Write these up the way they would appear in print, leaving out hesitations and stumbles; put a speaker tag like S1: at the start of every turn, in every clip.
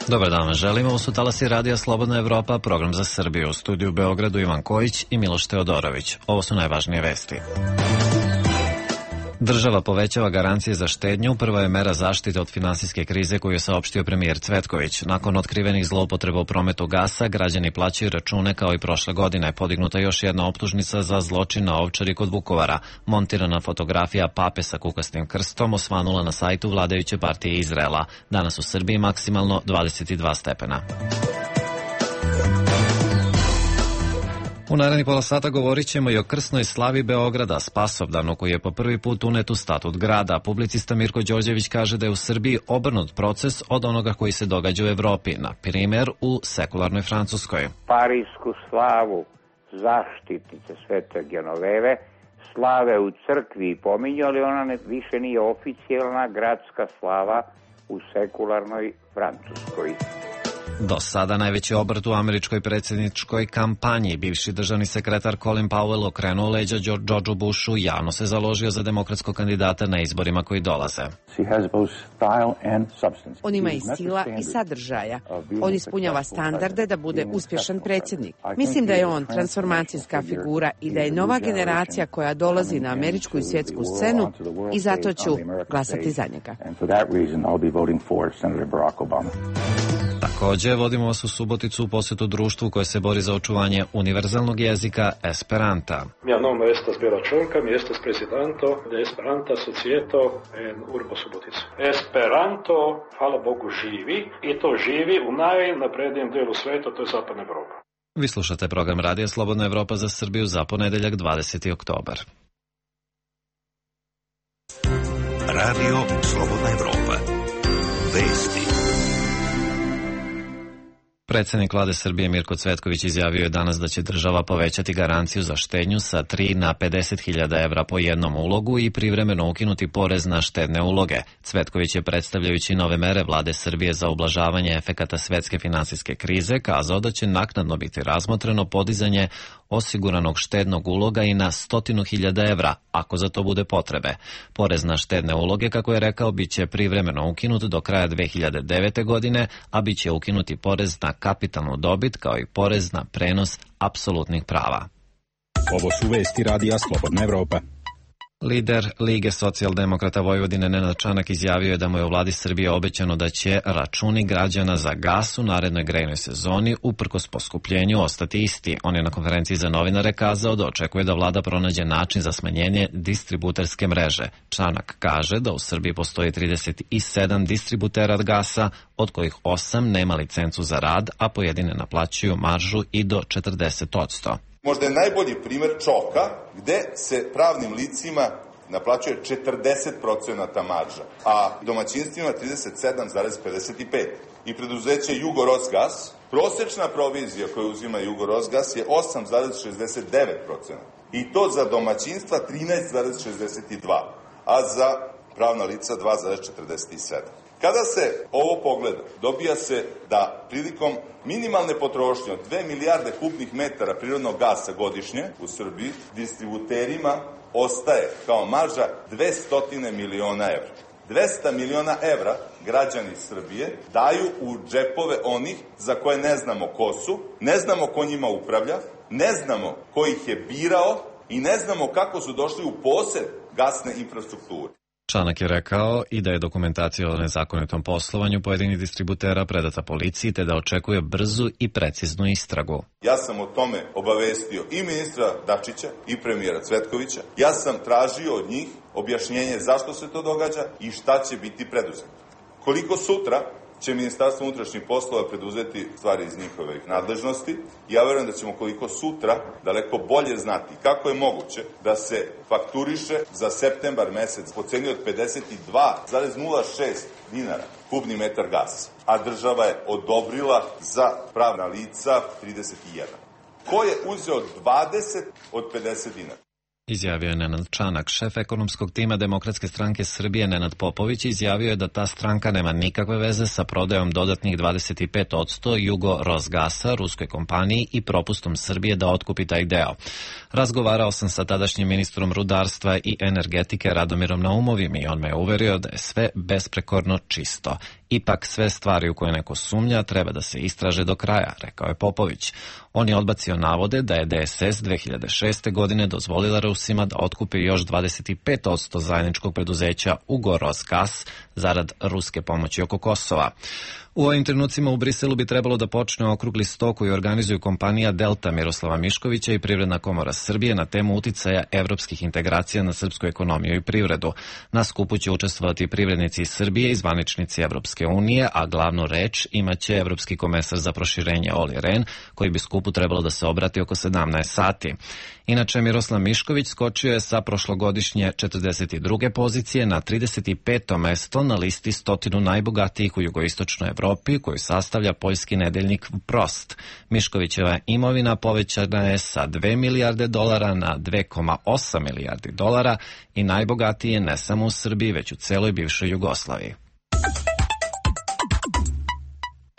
S1: Dobar dan vam želimo, ovo su talasi Radija Slobodna Evropa, program za Srbiju. U studiju u Beogradu Ivan Kojić i Miloš Teodorović. Ovo su najvažnije vesti. Država povećava garancije za štednju, prva je mera zaštite od finansijske krize koju je saopštio premijer Cvetković. Nakon otkrivenih zloupotreba u prometu gasa, građani plaćaju račune kao i prošle godine. Podignuta još jedna optužnica za zločin na Ovčari kod Vukovara. Montirana fotografija pape sa kukastim krstom osvanula na sajtu vladajuće partije Izraela. Danas u Srbiji maksimalno 22 stepena. U narednih pola sata govorit ćemo i o krsnoj slavi Beograda, Spasovdanu, koji je po prvi put unet u statut grada. Publicista Mirko Đorđević kaže da je u Srbiji obrnut proces od onoga koji se događa u Evropi, na primjer u sekularnoj Francuskoj.
S2: Parijsku slavu zaštitnice Svete Genoveve slave u crkvi pominju, ali ona više nije oficijalna gradska slava u sekularnoj Francuskoj.
S1: Do sada najveći obrt u američkoj predsjedničkoj kampanji. Bivši državni sekretar Colin Powell okrenuo leđa Georgeu Bushu, javno se založio za demokratskog kandidata na izborima koji dolaze.
S3: On ima i stila i sadržaja. On ispunjava standarde da bude uspješan predsjednik. Mislim da je on transformacijska figura i da je nova generacija koja dolazi na američku i svjetsku scenu i zato ću glasati za njega.
S1: Također, vodimo vas u Suboticu u posjetu društvu koje se bori za očuvanje univerzalnog jezika Esperanta.
S4: Mio nome estas Bela Čonka, mi estas presidento de Esperanta Societo en Urbo Subotica. Esperanto, hvala Bogu, živi i to živi u najnaprednijem dijelu sveta, to je Zapadna Evropa.
S1: Vi slušate program Radija Slobodna Evropa za Srbiju za ponedeljak 20. oktobar.
S5: Radio Slobodna Evropa. Vesti.
S1: Predsjednik vlade Srbije Mirko Cvetković izjavio je danas da će država povećati garanciju za štednju sa 3 na 50.000 evra po jednom ulogu i privremeno ukinuti porez na štedne uloge. Cvetković je, predstavljajući nove mere vlade Srbije za ublažavanje efekata svetske finansijske krize, kazao da će naknadno biti razmotreno podizanje osiguranog štednog uloga i na 100.000 evra, ako za to bude potrebe. Porez na štedne uloge, kako je rekao, bit će privremeno ukinut do kraja 2009. godine, a bit će ukinuti porez na kapitalnu dobit kao i porez na prenos apsolutnih prava.
S6: Ovo su vesti Radija Slobodna Evropa.
S1: Lider Lige socijaldemokrata Vojvodine Nenad Čanak izjavio je da mu je u vladi Srbije obećano da će računi građana za gas u narednoj grejnoj sezoni uprkos poskupljenju ostati isti. On je na konferenciji za novinare kazao da očekuje da vlada pronađe način za smanjenje distributerske mreže. Čanak kaže da u Srbiji postoji 37 distributera gasa, od kojih 8 nema licencu za rad, a pojedine naplaćuju maržu i do 40%.
S7: Možda je najbolji primjer Čoka, gde se pravnim licima naplaćuje 40% marža, a domaćinstvima 37,55%. I preduzeće Jugorosgas, prosječna provizija koju uzima Jugorosgas je 8,69%. I to za domaćinstva 13,62%, a za pravna lica 2,47%. Kada se ovo pogleda, dobija se da prilikom minimalne potrošnje od 2 milijarde kubnih metara prirodnog gasa godišnje u Srbiji, distributerima ostaje kao marža 200 miliona evra. 200 miliona evra građani Srbije daju u džepove onih za koje ne znamo ko su, ne znamo ko njima upravlja, ne znamo ko ih je birao i ne znamo kako su došli u posed gasne infrastrukture.
S1: Čanak je rekao i da je dokumentacija o nezakonitom poslovanju pojedinih distributera predata policiji, te da očekuje brzu i preciznu istragu.
S7: Ja sam o tome obavestio i ministra Dačića i premijera Cvetkovića. Ja sam tražio od njih objašnjenje zašto se to događa i šta će biti preduzeto. Koliko sutra će Ministarstvo unutrašnjih poslova preduzeti stvari iz njihove nadležnosti. Ja verujem da ćemo koliko sutra daleko bolje znati kako je moguće da se fakturiše za septembar mesec po ceni od 52,06 dinara kubni metar gasa, a država je odobrila za pravna lica 31. Ko je uzeo 20 od 50 dinara?
S1: Izjavio je Nenad Čanak. Šef ekonomskog tima Demokratske stranke Srbije Nenad Popović izjavio je da ta stranka nema nikakve veze sa prodajom dodatnih 25% Jugorosgasa ruskoj kompaniji i propustom Srbije da otkupi taj deo. Razgovarao sam sa tadašnjim ministrom rudarstva i energetike Radomirom Naumovim i on me je uverio da je sve besprekorno čisto. Ipak sve stvari u koje neko sumnja treba da se istraže do kraja, rekao je Popović. On je odbacio navode da je DSS 2006. godine dozvolila Rusima da otkupe još 25% zajedničkog preduzeća Ugorosgas zarad ruske pomoći oko Kosova. U ovim trenucima u Briselu bi trebalo da počne okrugli sto koji organizuju kompanija Delta Miroslava Miškovića i Privredna komora Srbije na temu uticaja evropskih integracija na srpsku ekonomiju i privredu. Na skupu će učestvovati privrednici iz Srbije i zvaničnici Evropske unije, a glavnu reč imaće evropski komesar za proširenje Olli Rehn, koji bi skupu trebalo da se obrati oko 17 sati. Inače, Miroslav Mišković skočio je sa prošlogodišnje 42. pozicije na 35. mesto na listi 100 najbogatijih u jugoistočnoj Evropi, koju sastavlja poljski nedeljnik Prost. Miškovićeva imovina povećana je sa 2 milijarde dolara na 2,8 milijardi dolara i najbogatiji je ne samo u Srbiji, već u celoj bivšoj Jugoslaviji.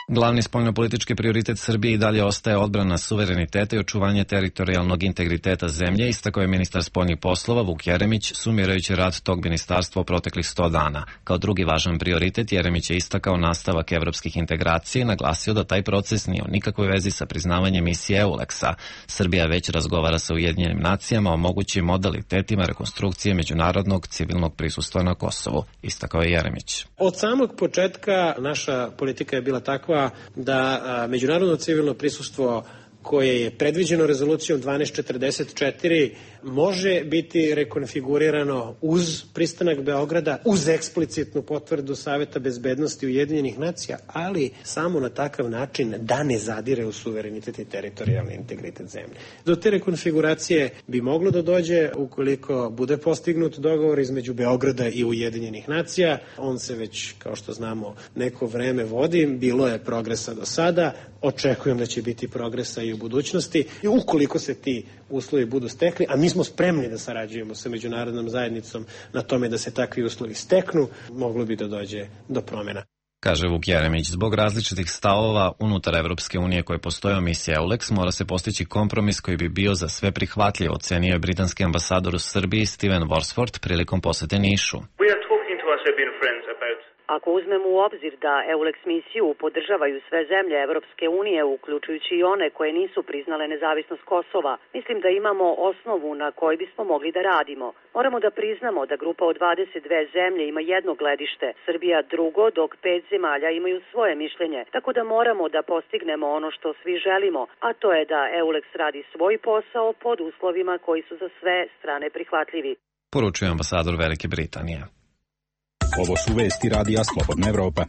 S1: Glavni spoljnopolitički prioritet Srbije i dalje ostaje odbrana suvereniteta i očuvanje teritorijalnog integriteta zemlje, istakao je ministar spoljnih poslova Vuk Jeremić, sumirajući rad tog ministarstva u proteklih 100 dana. Kao drugi važan prioritet, Jeremić je istakao nastavak evropskih integracija i naglasio da taj proces nije u nikakvoj vezi sa priznavanjem misije EULEX-a. Srbija već razgovara sa Ujedinjenim nacijama o mogućim modalitetima rekonstrukcije međunarodnog civilnog prisustva na Kosovu, istakao je Jeremić.
S8: Od samog početka naša politika je bila takva da međunarodno civilno prisustvo koje je predviđeno rezolucijom 1244 može biti rekonfigurirano uz pristanak Beograda, uz eksplicitnu potvrdu Saveta bezbednosti Ujedinjenih nacija, ali samo na takav način da ne zadire u suverenitet i teritorijalni integritet zemlje. Do te rekonfiguracije bi moglo da dođe ukoliko bude postignut dogovor između Beograda i Ujedinjenih nacija. On se već, kao što znamo, neko vreme vodi, bilo je progresa do sada, očekujem da će biti progresa i u budućnosti i ukoliko se ti uslovi budu stekli, a mi smo spremni da sarađujemo sa međunarodnom zajednicom na tome da se takvi uslovi steknu, moglo bi da dođe do promjena.
S1: Kaže Vuk Jeremić, zbog različitih stavova unutar Evropske unije koje postoje o misiji EULEX, mora se postići kompromis koji bi bio za sve prihvatljiv, ocenio je britanski ambasador u Srbiji Steven Worsford prilikom posete Nišu.
S9: Ako uzmemo u obzir da EULEX misiju podržavaju sve zemlje Evropske unije, uključujući i one koje nisu priznale nezavisnost Kosova, mislim da imamo osnovu na kojoj bismo mogli da radimo. Moramo da priznamo da grupa od 22 zemlje ima jedno gledište, Srbija drugo, dok 5 zemalja imaju svoje mišljenje. Tako da moramo da postignemo ono što svi želimo, a to je da EULEX radi svoj posao pod uslovima koji su za sve strane prihvatljivi.
S1: Poručuje ambasador Velike Britanije.
S6: Ovo su vesti Radija Slobodna Evropa.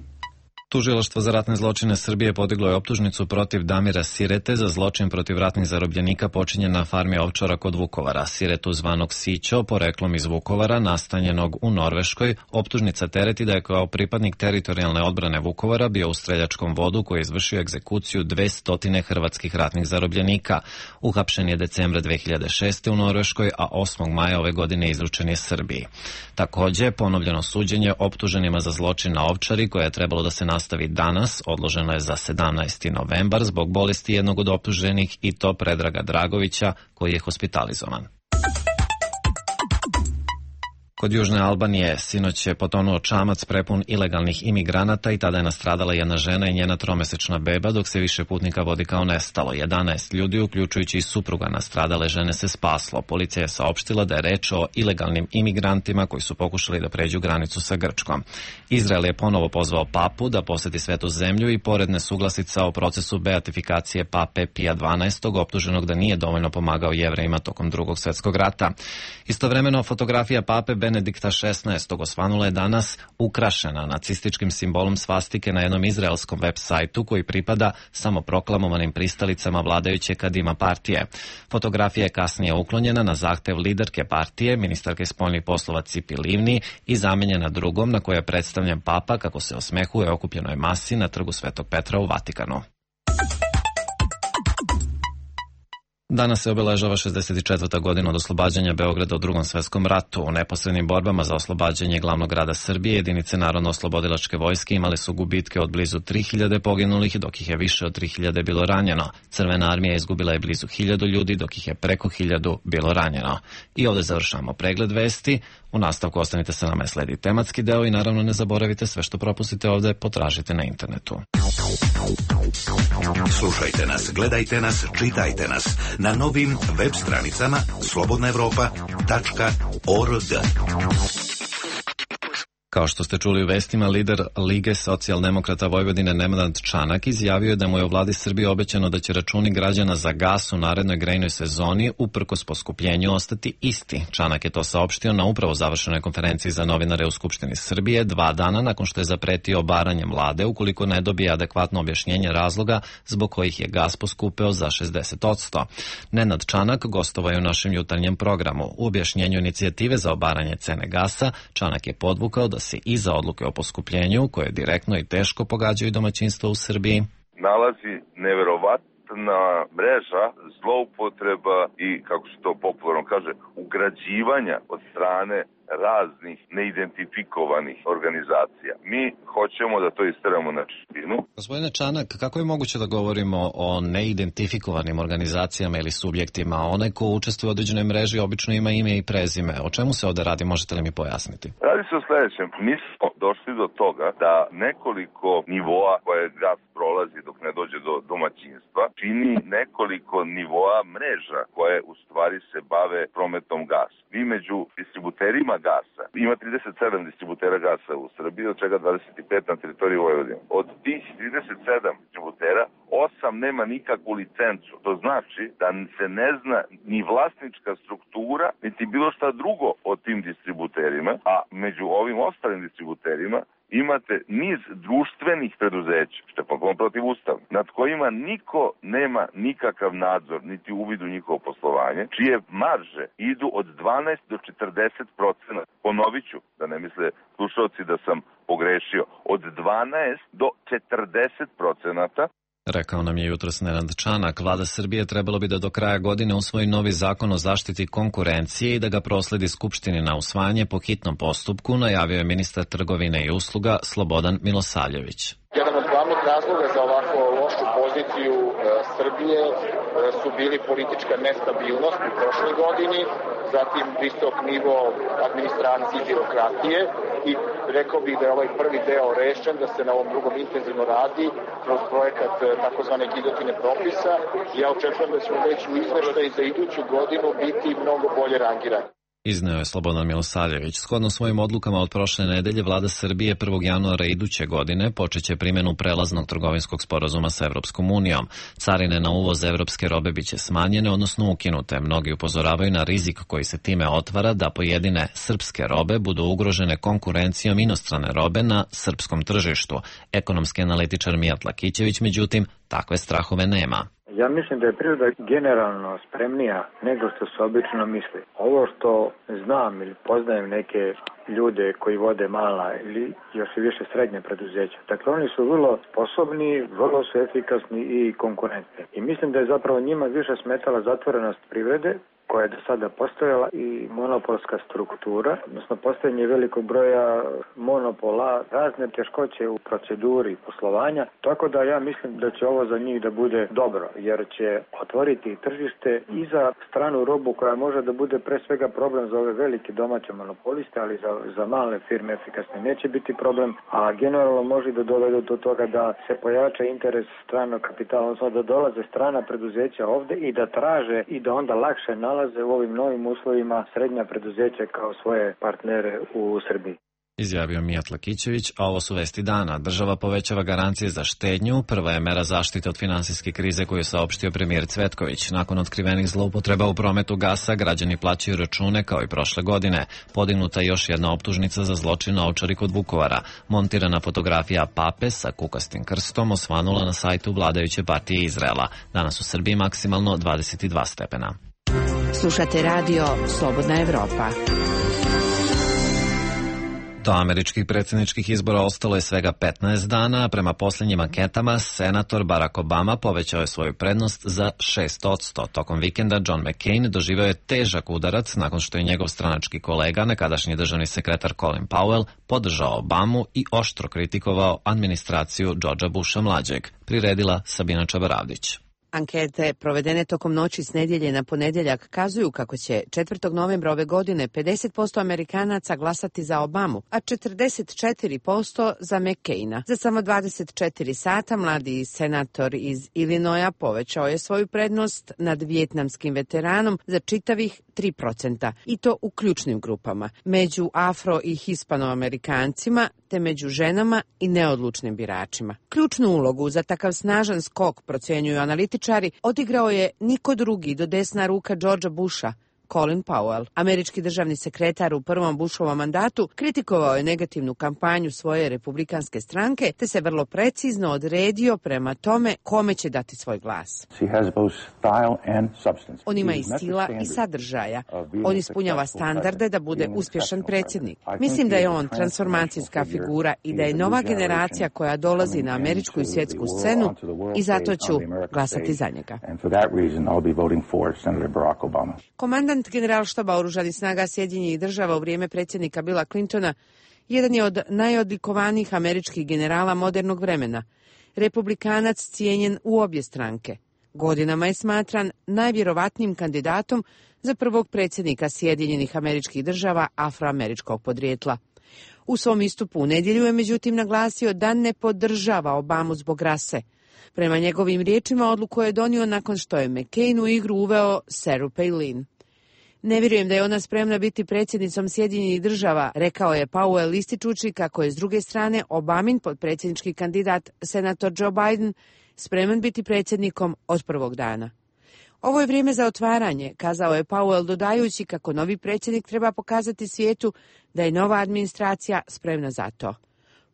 S1: Tužilaštvo za ratne zločine Srbije podiglo je optužnicu protiv Damira Sirete za zločin protiv ratnih zarobljenika počinjen na farmi ovčara kod Vukovara. Siretu zvanog Sićo, poreklom iz Vukovara, nastanjenog u Norveškoj, optužnica tereti da je kao pripadnik teritorijalne odbrane Vukovara bio u streljačkom vodu koji je izvršio egzekuciju 200 hrvatskih ratnih zarobljenika. Uhapšen je decembra 2006. u Norveškoj, a 8. maja ove godine izručen je Srbiji. Takođe, ponovljeno suđenje optuženima za zločin na Ovčari, koje je trebalo da se nastavi danas, odloženo je za 17. novembar zbog bolesti jednog od optuženih, i to Predraga Dragovića, koji je hospitalizovan. Kod Južne Albanije sinoć je potonuo čamac prepun ilegalnih imigranata i tada je nastradala jedna žena i njena tromesečna beba, dok se više putnika vodi kao nestalo. 11 ljudi, uključujući i supruga nastradale žene, se spaslo. Policija je saopštila da je reč o ilegalnim imigrantima koji su pokušali da pređu granicu sa Grčkom. Izrael je ponovo pozvao papu da poseti Svetu zemlju i pored nesuglasica o procesu beatifikacije pape Pija XII, optuženog da nije dovoljno pomagao Jevrejima tokom Drugog svjetskog rata. Istovremeno, fotografija pape Benedikta XVI. Osvanula je danas ukrašena nacističkim simbolom svastike na jednom izraelskom web sajtu koji pripada samoproklamovanim pristalicama vladajuće Kadima partije. Fotografija je kasnije uklonjena na zahtev liderke partije, ministarke spoljnih poslova Cipi Livni, i zamenjena drugom na kojoj je predstavljen papa kako se osmehuje okupljenoj masi na trgu Svetog Petra u Vatikanu. Danas se obeležava 64. godina od oslobađanja Beograda u Drugom svetskom ratu. U neposrednim borbama za oslobađanje glavnog grada Srbije jedinice Narodno-oslobodilačke vojske imale su gubitke od blizu 3000 poginulih, dok ih je više od 3000 bilo ranjeno. Crvena armija izgubila je blizu 1000 ljudi, dok ih je preko 1000 bilo ranjeno. I ovde završamo pregled vesti. U nastavku ostanite sa nama, sledi tematski deo i naravno ne zaboravite sve što propustite ovde, potražite na internetu.
S5: Slušajte nas, gledajte nas, čitajte nas na novim web stranicama slobodnaevropa.org.
S1: Kao što ste čuli u vestima, lider Lige socijaldemokrata Vojvodine Nenad Čanak izjavio je da mu je u vladi Srbije obećano da će računi građana za gas u narednoj grejnoj sezoni uprkos poskupljenju ostati isti. Čanak je to saopštio na upravo završenoj konferenciji za novinare u Skupštini Srbije 2 dana nakon što je zapretio obaranjem vlade ukoliko ne dobije adekvatno objašnjenje razloga zbog kojih je gas poskupeo za 60%. Nenad Čanak gostovao je u našem jutarnjem programu. U objašnjenju inicijative za obaranje cene gasa, Čanak je podvukao da se iza odluke o poskupljenju, koje direktno i teško pogađaju domaćinstva u Srbiji,
S10: nalazi neverovatna mreža zloupotreba i, kako se to popularno kaže, ugrađivanja od strane raznih neidentifikovanih organizacija. Mi hoćemo da to isteramo na čistinu.
S1: Gospodine Čanak, kako je moguće da govorimo o neidentifikovanim organizacijama ili subjektima? Onaj ko učestvuje u određenoj mreži obično ima ime i prezime. O čemu se ovde radi? Možete li mi pojasniti?
S10: Radi se o sledećem. Mi smo došli do toga da nekoliko nivoa koje gas prolazi dok ne dođe do domaćinstva čini nekoliko nivoa mreža koje u stvari se bave prometom gasa. Mi među distributerima gasa, ima 37 distributera gasa u Srbiji, od čega 25 na teritoriji Vojvodine. Od tih 37 distributera, 8 nema nikakvu licencu. To znači da se ne zna ni vlasnička struktura, niti bilo šta drugo o tim distributerima, a među ovim ostalim distributerima imate niz društvenih preduzeća, što je potpuno protivustavno, nad kojima niko nema nikakav nadzor, niti uvid u njihovo poslovanje, čije marže idu od 12 do 40%. Ponovit ću, da ne misle slušalci da sam pogrešio, od 12 do 40%.
S1: Rekao nam je jutros Nenad Čanak. Vlada Srbije trebalo bi da do kraja godine usvoji novi zakon o zaštiti konkurencije i da ga prosledi Skupštini na usvajanje po hitnom postupku, najavio je ministar trgovine i usluga Slobodan Milosavljević.
S11: Jedan od glavnih razloga za ovako lošu poziciju Srbije su bili politička nestabilnost u prošloj godini, zatim visok nivo administracije i birokratije i rekao bih da je ovaj prvi deo rešen, da se na ovom drugom intenzivno radi kroz projekat takozvane gilotine propisa. Ja očekujem da ćemo već u izveštaju za iduću godinu biti mnogo bolje rangirani.
S1: Izneo je Slobodan Milosavljević. Shodno svojim odlukama od prošle nedelje, vlada Srbije 1. januara iduće godine počeće primjenu prelaznog trgovinskog sporazuma sa Evropskom unijom. Carine na uvoz evropske robe biće smanjene, odnosno ukinute. Mnogi upozoravaju na rizik koji se time otvara da pojedine srpske robe budu ugrožene konkurencijom inostrane robe na srpskom tržištu. Ekonomski analitičar Mijat Lakićević, međutim, takve strahove nema.
S12: Ja mislim da je priroda generalno spremnija nego što se obično misli. Ovo što znam ili poznajem neke ljude koji vode mala ili još i više srednje preduzeća. Dakle, oni su vrlo sposobni, vrlo su efikasni i konkurentni. I mislim da je zapravo njima više smetala zatvorenost privrede, koja je do sada postojala, i monopolska struktura, odnosno postojanje velikog broja monopola, razne teškoće u proceduri poslovanja, tako da ja mislim da će ovo za njih da bude dobro, jer će otvoriti tržište i za stranu robu koja može da bude pre svega problem za ove velike domaće monopoliste, ali za male firme efikasne neće biti problem, a generalno može da dovede do toga da se pojača interes stranog kapitala, odnosno da dolaze strana preduzeća ovde i da traže i da onda lakše nalaze u ovim novim uslovima srednja preduzeća kao svoje partnere u Srbiji.
S1: Izjavio Mijat Lakićević, a ovo su vesti dana. Država povećava garancije za štednju. Prva je mera zaštite od finansijske krize koju je saopštio premijer Cvetković. Nakon otkrivenih zloupotreba u prometu gasa, građani plaćaju račune kao i prošle godine. Podignuta je još jedna optužnica za zločin na Ovčari kod Vukovara. Montirana fotografija pape sa kukastim krstom osvanula na sajtu vladajuće partije Izraela. Danas u Srbiji maksimalno 22 stepena.
S3: Slušate radio Slobodna Evropa.
S1: Do američkih predsjedničkih izbora ostalo je svega 15 dana, a prema posljednjim anketama senator Barack Obama povećao je svoju prednost za 6%. Tokom vikenda John McCain doživio je težak udarac nakon što je njegov stranački kolega, nekadašnji državni sekretar Colin Powell, podržao Obamu i oštro kritikovao administraciju Georgea Busha mlađeg. Priredila Sabina Čabaravdić.
S3: Ankete provedene tokom noći s nedjelje na ponedjeljak kazuju kako će 4. novembra ove godine 50% Amerikanaca glasati za Obamu, a 44% za McCaina. Za samo 24 sata mladi senator iz Illinoisa povećao je svoju prednost nad vijetnamskim veteranom za čitavih 3%, i to u ključnim grupama, među afro- i hispanoamerikancima, te među ženama i neodlučnim biračima. Ključnu ulogu za takav snažan skok, procjenjuju analitičari, odigrao je niko drugi do desna ruka Georgea Busha, Colin Powell. Američki državni sekretar u prvom Bushovom mandatu kritikovao je negativnu kampanju svoje republikanske stranke, te se vrlo precizno odredio prema tome kome će dati svoj glas. On ima i stila i sadržaja. On ispunjava standarde da bude uspješan predsjednik. Mislim da je on transformacijska figura i da je nova generacija koja dolazi na američku i svjetsku scenu, i zato ću glasati za njega. Komandant generalštaba oružanih snaga Sjedinjenih država u vrijeme predsjednika Billa Clintona jedan je od najodlikovanijih američkih generala modernog vremena. Republikanac cijenjen u obje stranke. Godinama je smatran najvjerovatnijim kandidatom za prvog predsjednika Sjedinjenih Američkih Država afroameričkog podrijetla. U svom istupu u nedjelju je međutim naglasio da ne podržava Obamu zbog rase. Prema njegovim riječima odluku je donio nakon što je McCain u igru uveo Sarah Palin. Ne vjerujem da je ona spremna biti predsjednicom Sjedinjenih država, rekao je Powell ističući kako je s druge strane Obamin potpredsjednički kandidat senator Joe Biden spreman biti predsjednikom od prvog dana. Ovo je vrijeme za otvaranje, kazao je Powell dodajući kako novi predsjednik treba pokazati svijetu da je nova administracija spremna za to.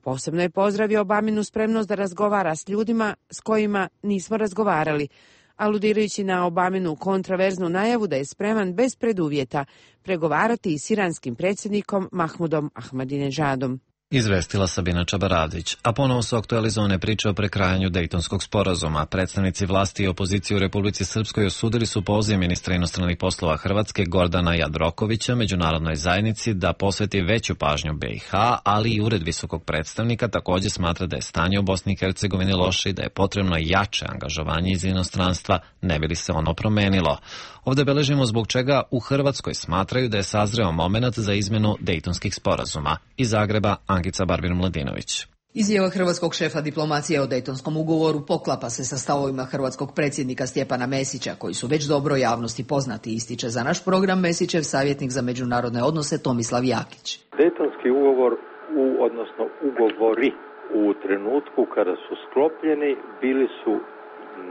S3: Posebno je pozdravio Obaminu spremnost da razgovara s ljudima s kojima nismo razgovarali, aludirajući na Obaminu kontraverznu najavu da je spreman bez preduvjeta pregovarati i s iranskim predsjednikom Mahmudom Ahmadinejadom.
S1: Izvestila Sabina Čabaravdić, a ponovo su aktualizovane priče o prekrajanju Dejtonskog sporazuma. Predstavnici vlasti i opozicije u Republici Srpskoj osudili su poziv ministra inostranih poslova Hrvatske Gordana Jandrokovića međunarodnoj zajednici da posveti veću pažnju BiH, ali i Ured visokog predstavnika također smatra da je stanje u Bosni i Hercegovini loše i da je potrebno jače angažovanje iz inostranstva, ne bi li se ono promenilo. Ovdje beležimo zbog čega u Hrvatskoj smatraju da je sazreo momenat za izmjenu Dejtonskih sporazuma. Iz Zagreba, Ankica Barbin-Mladinović.
S13: Izjava hrvatskog šefa diplomacije o Dejtonskom ugovoru poklapa se sa stavovima hrvatskog predsjednika Stjepana Mesića, koji su već dobro javnosti poznati, ističe za naš program Mesićev savjetnik za međunarodne odnose Tomislav Jakić.
S14: Dejtonski ugovor, odnosno ugovori u trenutku kada su sklopljeni, bili su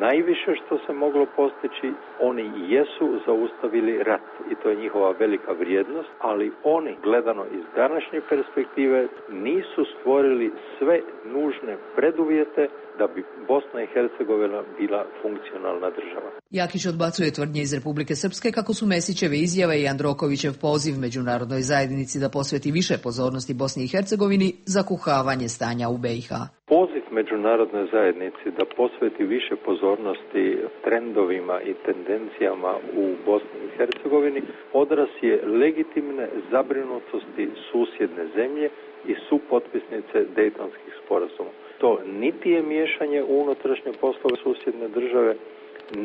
S14: najviše što se moglo postići. Oni jesu zaustavili rat i to je njihova velika vrijednost, ali oni, gledano iz današnje perspektive, nisu stvorili sve nužne preduvjete da bi Bosna i Hercegovina bila funkcionalna država.
S13: Jakić odbacuje tvrdnje iz Republike Srpske kako su Mesićeve izjave i Jandrokovićev poziv međunarodnoj zajednici da posveti više pozornosti Bosni i Hercegovini za kuhavanje stanja u BiH.
S14: Poziv međunarodnoj zajednici da posveti više pozornosti trendovima i tendencijama u Bosni i Hercegovini odraz je legitimne zabrinutosti susjedne zemlje i supotpisnice Dejtonskih sporazuma. To niti je miješanje u unutrašnje poslove susjedne države,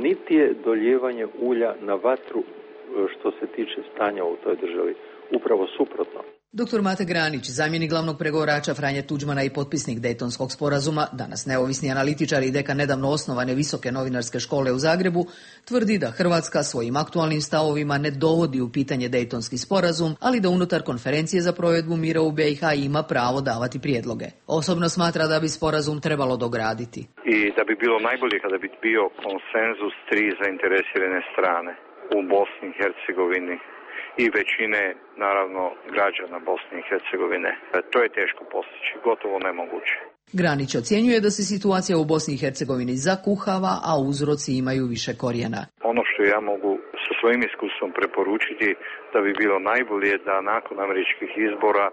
S14: niti je dolijevanje ulja na vatru što se tiče stanja u toj državi. Upravo suprotno.
S13: Dr. Mate Granić, zamjenik glavnog pregovarača Franje Tuđmana i potpisnik Dejtonskog sporazuma, danas neovisni analitičar i dekan nedavno osnovane Visoke novinarske škole u Zagrebu, tvrdi da Hrvatska svojim aktualnim stavovima ne dovodi u pitanje Dejtonski sporazum, ali da unutar konferencije za provedbu mira u BiH ima pravo davati prijedloge. Osobno smatra da bi sporazum trebalo dograditi.
S15: I da bi bilo najbolje kada bi bio konsenzus tri zainteresirane strane u Bosni i Hercegovini i većine, naravno, građana Bosne i Hercegovine. To je teško postići, gotovo nemoguće.
S13: Granić ocjenjuje da se situacija u Bosni i Hercegovini zakuhava, a uzroci imaju više korijena.
S15: Ono što ja mogu sa svojim iskustvom preporučiti da bi bilo najbolje da nakon američkih izbora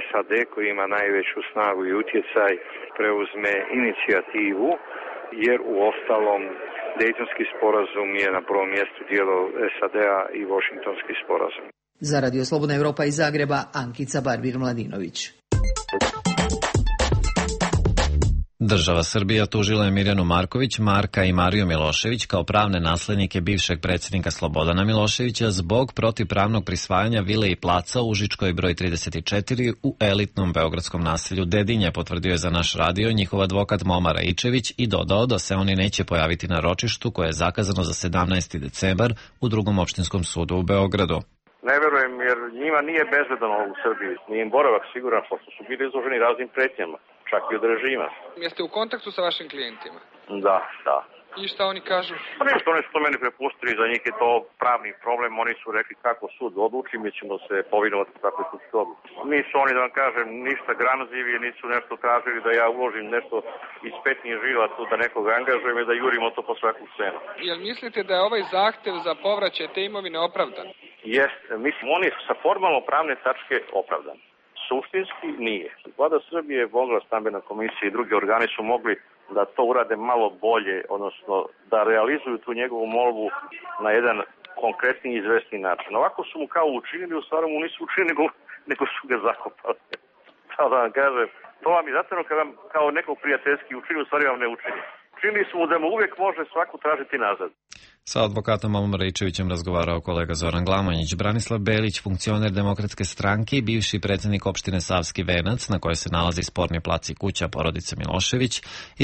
S15: SAD koji ima najveću snagu i utjecaj preuzme inicijativu, jer u ostalom Dejtonski sporazum je na prvom mjestu dijelo SAD-a i Washingtonski sporazum.
S13: Za Radio Slobodna Evropa iz Zagreba, Ankica Barbir-Mladinović.
S1: Država Srbija tužila je Mirjanu Marković, Marka i Mariju Milošević kao pravne naslednike bivšeg predsjednika Slobodana Miloševića zbog protivpravnog prisvajanja vile i placa u Užičkoj broj 34 u elitnom beogradskom naselju Dedinje, potvrdio je za naš radio njihov advokat Momar Ičević i dodao da se oni neće pojaviti na ročištu koje je zakazano za 17. decembar u Drugom opštinskom sudu u Beogradu.
S16: Ne verujem, jer njima nije bezbedno u Srbiji. Nije im boravak siguran, pošto su bili izloženi raznim pretnjama, čak i od režima.
S17: Jeste u kontaktu sa vašim klijentima?
S16: Da, da.
S17: I šta oni kažu?
S16: Pa nešto, oni su to meni prepustili, za njih je to pravni problem, oni su rekli kako sud odluči, mi ćemo se povinovati kako je sudski odluči. Nisu oni, da vam kažem, ništa gramzivi, nisu nešto tražili da ja uložim nešto iz petnih žila tu, da nekoga angažujem i da jurimo to po svaku cenu.
S17: Jel mislite da je ovaj zahtev za povraćaj te imovine opravdan?
S16: Jeste, mislim, on je sa formalno pravne tačke opravdan. Suštinski nije. Vlada Srbije, Vogla, Stambena komisija i drugi organi su mogli da to urade malo bolje, odnosno da realizuju tu njegovu molbu na jedan konkretni i izvesni način. Ovako su mu kao učinili, u stvari mu nisu učinili, nego su ga zakopali. Kao da vam kažem, to vam je zato kad vam kao nekog prijateljski učini, u stvari vam ne učini. Čini su mu da mu uvijek može svaku tražiti nazad.
S1: Sa advokatom Momom Rejčevićem razgovarao kolega Zoran Glamonjić. Branislav Belić, funkcioner Demokratske stranke i bivši predsjednik opštine Savski Venac, na kojoj se nalazi sporni plac i kuća porodice Milošević,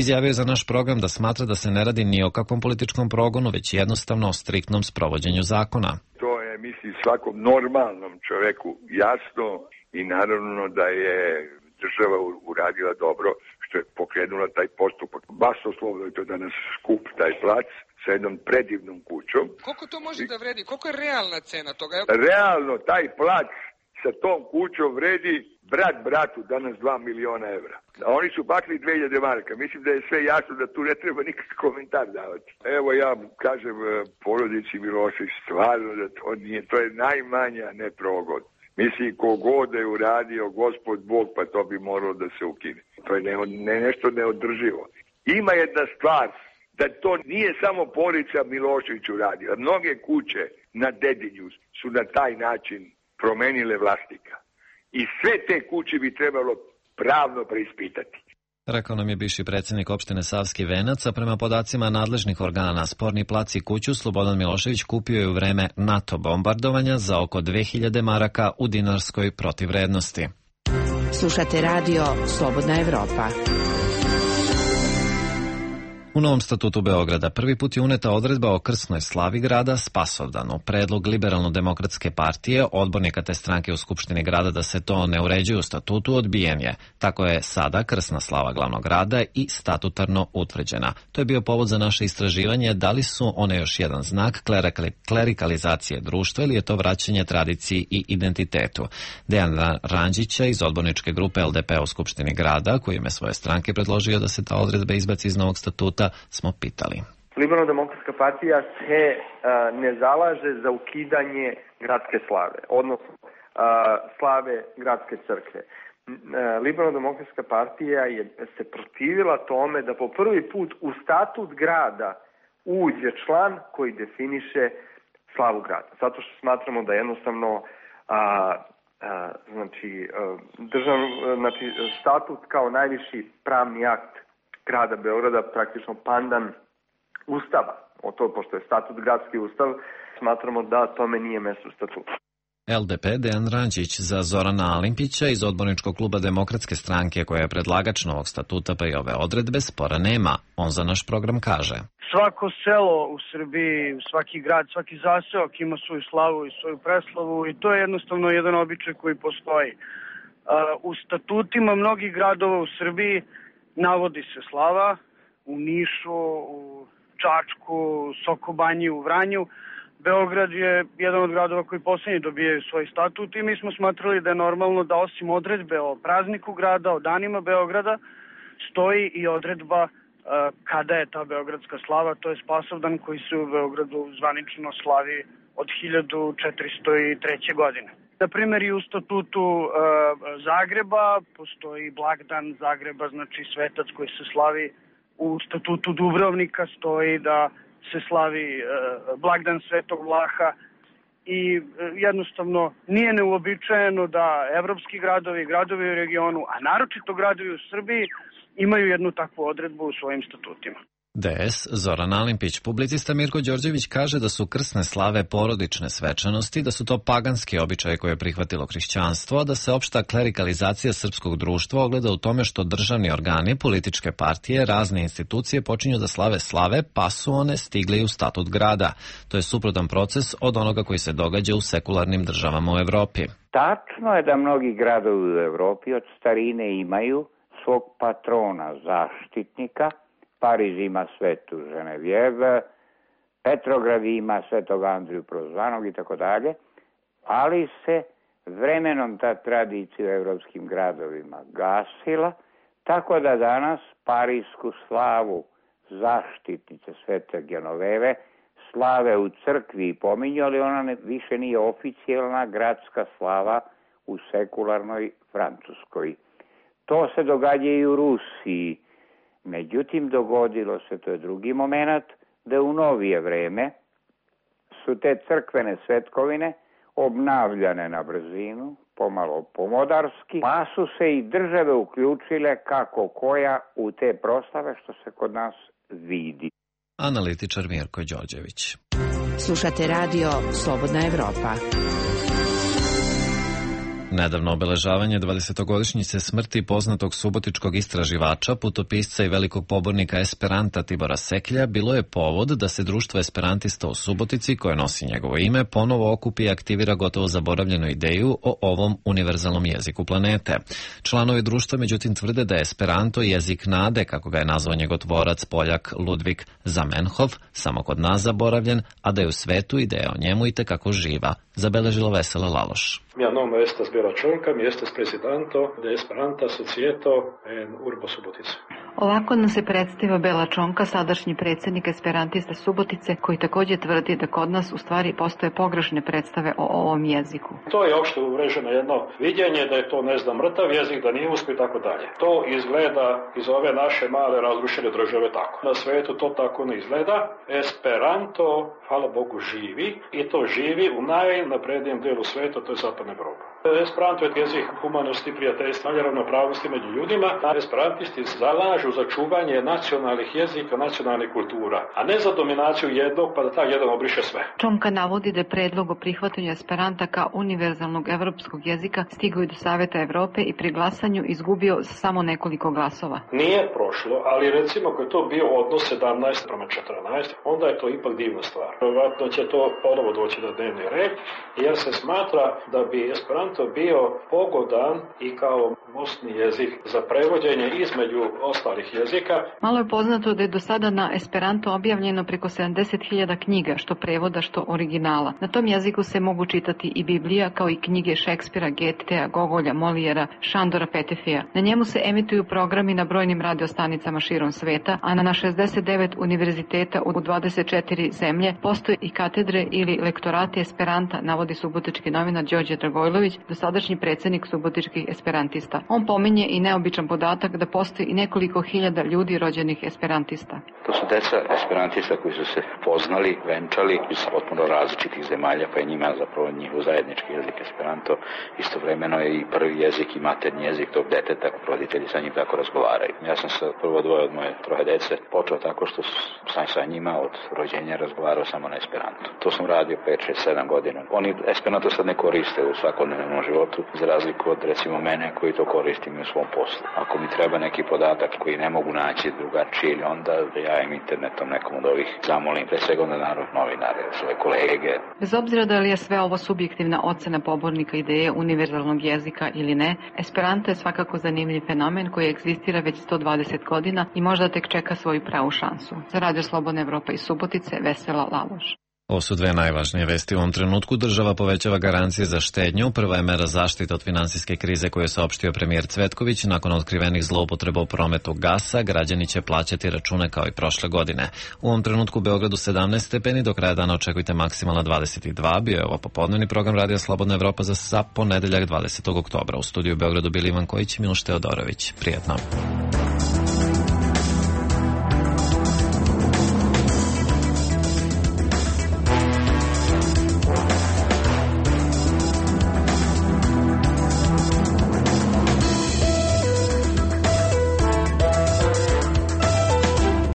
S1: izjavio za naš program da smatra da se ne radi ni o kakvom političkom progonu, već jednostavno o striktnom sprovođenju zakona.
S18: To je, mislim, svakom normalnom čoveku jasno i naravno da je država uradila dobro što je pokrenula taj postupak. Basoslovno je to danas skup taj plac sa jednom predivnom kućom.
S17: Koliko to može da vredi? Koliko je realna cena toga?
S18: Realno taj plac sa tom kućom vredi brat bratu danas 2 miliona evra. A oni su bakli 2000 maraka. Mislim da je sve jasno da tu ne treba nikakav komentar davati. Evo ja kažem porodici Milošević stvarno da to nije. To je najmanja neprogon. Mislim, kogod je uradio Gospod Bog, pa to bi moralo da se ukine. To je nešto neodrživo. Ima jedna stvar, da to nije samo porodica Milošević uradila. Mnoge kuće na Dedinju su na taj način promenile vlasnika. I sve te kuće bi trebalo pravno preispitati.
S1: Rekao nam je bivši predsjednik opštine Savski Venac, a prema podacima nadležnih organa sporni plac i kuću Slobodan Milošević kupio je u vreme NATO bombardovanja za oko 2000 maraka u dinarskoj protivvrednosti.
S3: Slušate radio Slobodna Evropa.
S1: U novom statutu Beograda prvi put je uneta odredba o krsnoj slavi grada Spasovdanu. Predlog Liberalno-demokratske partije, odbornika te stranke u Skupštini grada da se to ne uređuje u statutu, odbijen je. Tako je sada krsna slava glavnog grada i statutarno utvrđena. To je bio povod za naše istraživanje da li su one još jedan znak klerikalizacije društva ili je to vraćanje tradiciji i identitetu. Dejan Ranđića iz odborničke grupe LDP u Skupštini grada, koji ime svoje stranke predložio da se ta odredba izbaci iz novog statuta, smo pitali.
S19: Liberalno-demokratska partija se ne zalaže za ukidanje gradske slave, odnosno slave gradske crkve. Liberalno-demokratska partija se protivila tome da po prvi put u statut grada uđe član koji definiše slavu grada. Zato što smatramo da jednostavno statut kao najviši pravni akt grada Beograda praktično pandan ustava. Pošto je statut gradski ustav, smatramo da tome nije mesto u statutu.
S1: LDP Dejan Ranđić za Zorana Alimpića iz odborničkog kluba Demokratske stranke, koja je predlagač novog statuta, pa i ove odredbe spora nema. On za naš program kaže:
S20: svako selo u Srbiji, svaki grad, svaki zaseok ima svoju slavu i svoju preslavu i to je jednostavno jedan običaj koji postoji. U statutima mnogih gradova u Srbiji navodi se slava, u Nišu, u Čačku, u Sokobanji, u Vranju. Beograd je jedan od gradova koji posljednji dobijaju svoj statut i mi smo smatrali da je normalno da osim odredbe o prazniku grada, o danima Beograda, stoji i odredba kada je ta beogradska slava, to je Spasovdan koji se u Beogradu zvanično slavi od 1403. godine. Na primjer, i u statutu Zagreba postoji blagdan Zagreba, znači svetac koji se slavi. U statutu Dubrovnika stoji da se slavi blagdan Svetog Vlaha i jednostavno nije neuobičajeno da evropski gradovi u regionu, a naročito gradovi u Srbiji, imaju jednu takvu odredbu u svojim statutima.
S1: DS Zoran Alimpić, publicista Mirko Đorđević kaže da su krsne slave porodične svečanosti, da su to paganski običaje koje je prihvatilo hrišćanstvo, a da se opšta klerikalizacija srpskog društva ogleda u tome što državni organi, političke partije, razne institucije počinju da slave, pa su one stigle i u statut grada. To je suprotan proces od onoga koji se događa u sekularnim državama u Evropi.
S2: Tačno je da mnogi gradovi u Evropi od starine imaju svog patrona, zaštitnika. Pariz ima svetu Ženevjeve, Petrograd ima svetog Andriju Prozvanog i tako dalje, ali se vremenom ta tradicija u evropskim gradovima gasila, tako da danas parijsku slavu zaštitnice svete Genoveve slave u crkvi i pominju, ali ona više nije oficijalna gradska slava u sekularnoj Francuskoj. To se događa i u Rusiji. Međutim, dogodilo se, to je drugi moment, da u novije vreme su te crkvene svetkovine obnavljane na brzinu, pomalo pomodarski, pa su se i države uključile kako koja u te proslave što se kod nas vidi.
S1: Analitičar Mirko Đorđević.
S3: Slušate radio Slobodna Evropa.
S1: Nedavno obeležavanje 20-godišnjice smrti poznatog subotičkog istraživača, putopisca i velikog pobornika Esperanta Tibora Seklja bilo je povod da se društvo esperantista u Subotici, koje nosi njegovo ime, ponovo okupi i aktivira gotovo zaboravljenu ideju o ovom univerzalnom jeziku planete. Članovi društva međutim tvrde da je Esperanto jezik nade, kako ga je nazvao njegov tvorac Poljak Ludvig Zamenhof, samo kod nas zaboravljen, a da je u svetu ideja o njemu i tekako živa, zabeležila Vesela Laloš.
S4: Mia nome estas Bela Čonka, mi estes presidento de Esperanta Societo en Urbo Subotice.
S21: Ovako nam se predstavio Bela Čonka, sadašnji predsjednik Esperantista Subotice, koji također tvrdi da kod nas u stvari postoje pogrešne predstave o ovom jeziku.
S4: To je opšte uvreženo jedno vidjenje da je to, mrtav jezik, da nije uspio i tako dalje. To izgleda iz ove naše male razrušene države tako. Na svetu to tako ne izgleda. Esperanto, hvala Bogu, živi i to živi u najnaprednijem delu sveta, to je Zapadna Evropa. Esperanto je jezik humanosti, prijateljstva i ravnopravnosti među ljudima. Esperantisti zalažu za čuvanje nacionalnih jezika, nacionalnih kultura, a ne za dominaciju jednog pa da taj jedan obriše sve.
S21: Čonka navodi da je predlog o prihvatanju Esperanta kao univerzalnog evropskog jezika stigao do Saveta Evrope i pri glasanju izgubio samo nekoliko glasova.
S4: Nije prošlo, ali recimo ako je to bio odnos 17:14, onda je to ipak divna stvar. Vjerojatno će to ponovo doći na dnevni red, jer se smatra da bi Esperanto bio pogodan i kao mostni jezik za prevođenje između ostalih jezika.
S21: Malo je poznato da je do sada na Esperanto objavljeno preko 70.000 knjiga, što prevoda, što originala. Na tom jeziku se mogu čitati i Biblija, kao i knjige Šekspira, Getea, Gogolja, Molijera, Šandora Petefija. Na njemu se emituju programi na brojnim radiostanicama širom sveta, a na 69 univerziteta u 24 zemlje postoje i katedre ili lektorati Esperanta, navodi subotički novinar Đorđe Dragojlović, dosadašnji predsjednik subotičkih esperantista. On pominje i neobičan podatak da postoji i nekoliko hiljada ljudi rođenih esperantista.
S22: To su deca esperantista koji su se poznali, venčali iz potpuno različitih zemalja, pa je njima zapravo njihov zajednički jezik Esperanto. Istovremeno je i prvi jezik i maternji jezik tog deteta, roditelji sa njim tako razgovaraju. Ja sam sa prvo dvoje od moje troje dece počeo tako što sam sa njima od rođenja razgovarao samo na Esperanto. To sam radio 5, 6, 7 godina. Oni Esperanto sad ne koriste u svakodnevnom životu, za razliku od recimo mene koji to koristim u svom poslu. Ako mi treba neki podatak koji ne mogu naći drugačije, onda ja im internetom nekom od ovih zamolim, pre svega onda narod novinare, svoje kolege.
S21: Bez obzira da li je sve ovo subjektivna ocena pobornika ideje univerzalnog jezika ili ne, Esperanto je svakako zanimljiv fenomen koji egzistira već 120 godina i možda tek čeka svoju pravu šansu. Za Radio Slobodna Evropa iz Subotice, Vesela Laloš.
S1: Ovo su dve najvažnije vesti u ovom trenutku. Država povećava garancije za štednju. Prva je mera zaštite od finansijske krize koju je saopštio premijer Cvetković. Nakon otkrivenih zloupotreba u prometu gasa, građani će plaćati račune kao i prošle godine. U ovom trenutku u Beogradu 17 stepeni, do kraja dana očekujte maksimalna 22. Bio je ovo popodnevni program Radija Slobodna Evropa za ponedeljak 20. oktobra. U studiju u Beogradu bili Ivan Kojić i Miloš Teodorović. Prijetno.